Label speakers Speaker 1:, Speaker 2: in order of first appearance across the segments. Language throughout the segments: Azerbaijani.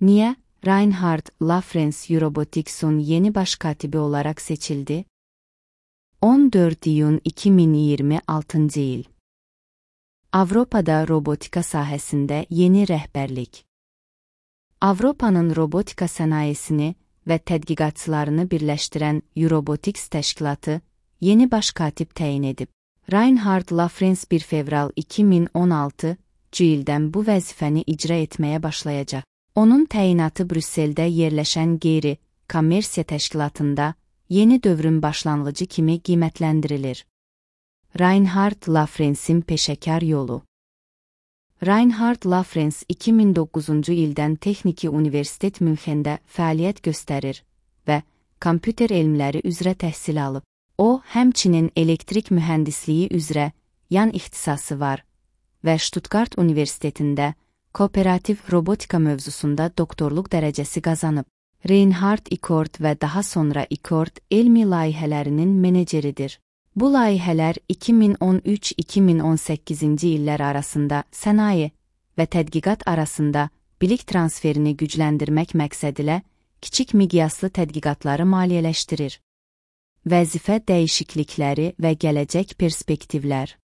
Speaker 1: Niye Reinhard Lafrance Eurobotics'un yeni baş katibi olarak seçildi? 14 iyun 2026 yıl. Avrupa'da robotika sahəsində yeni rəhbərlik. Avropanın robotika sənayesini və tədqiqatçılarını birləşdirən Eurobotics təşkilatı yeni baş katib təyin edib. Reinhard Lafrance 1 fevral 2016 ildən bu vəzifəni icra etməyə başlayacaq. Onun təyinatı Brüsseldə yerləşən qeyri-kommersiya təşkilatında yeni dövrün başlanğıcı kimi qiymətləndirilir. Reinhard Lafrance'in peşəkar yolu. Reinhard Lafrance 2009-cu ildən Texniki Universitet Münxendə fəaliyyət göstərir və kompüter elmləri üzrə təhsil alıb. O, həmçinin elektrik mühəndisliyi üzrə yan ixtisası var və Stuttgart Universitetində kooperativ robotika mövzusunda doktorluq dərəcəsi qazanıb. Reinhard Ikord və daha sonra Ikord elmi layihələrinin meneceridir. Bu layihələr 2013-2018-ci illər arasında sənaye və tədqiqat arasında bilik transferini gücləndirmək məqsədilə kiçik miqyaslı tədqiqatları maliyyələşdirir. Vəzifə dəyişiklikləri və gələcək perspektivlər.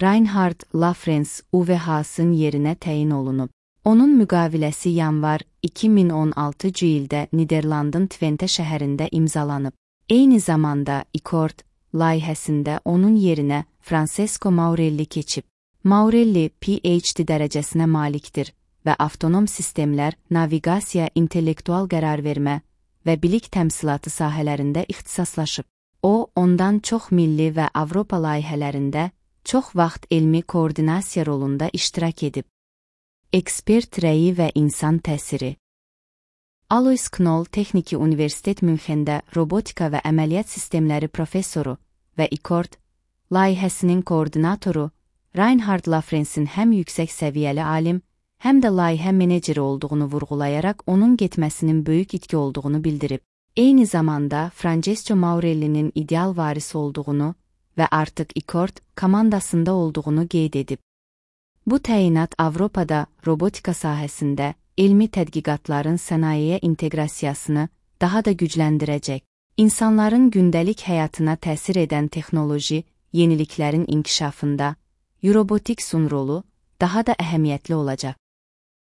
Speaker 1: Reinhard Lafrance UVH-sın yerinə təyin olunub. Onun müqaviləsi yanvar 2016-cı ildə Niderlandın Twente şəhərində imzalanıb. Eyni zamanda Ikord layihəsində onun yerinə Francesco Maurelli keçib. Maurelli PhD dərəcəsinə malikdir və avtonom sistemlər, naviqasiya, intellektual qərar vermə və bilik təmsilatı sahələrində ixtisaslaşıb. O, ondan çox milli və Avropa layihələrində çox vaxt elmi koordinasiya rolunda iştirak edib. Ekspert rəyi və insan təsiri. Alois Knoll Texniki Universitet Münxendə robotika və əməliyyat sistemləri professoru və Ikord layihəsinin koordinatoru Reinhard Lafrance'in həm yüksək səviyyəli alim, həm də layihə meneceri olduğunu vurğulayaraq onun getməsinin böyük itki olduğunu bildirib. Eyni zamanda Francesco Maurelli'nin ideal varisi olduğunu və artıq Ikord komandasında olduğunu qeyd edib. Bu təyinat Avropada robotika sahəsində elmi tədqiqatların sənayeyə inteqrasiyasını daha da gücləndirəcək. İnsanların gündəlik həyatına təsir edən texnoloji yeniliklərin inkişafında Eurobotics'un rolu daha da əhəmiyyətli olacaq.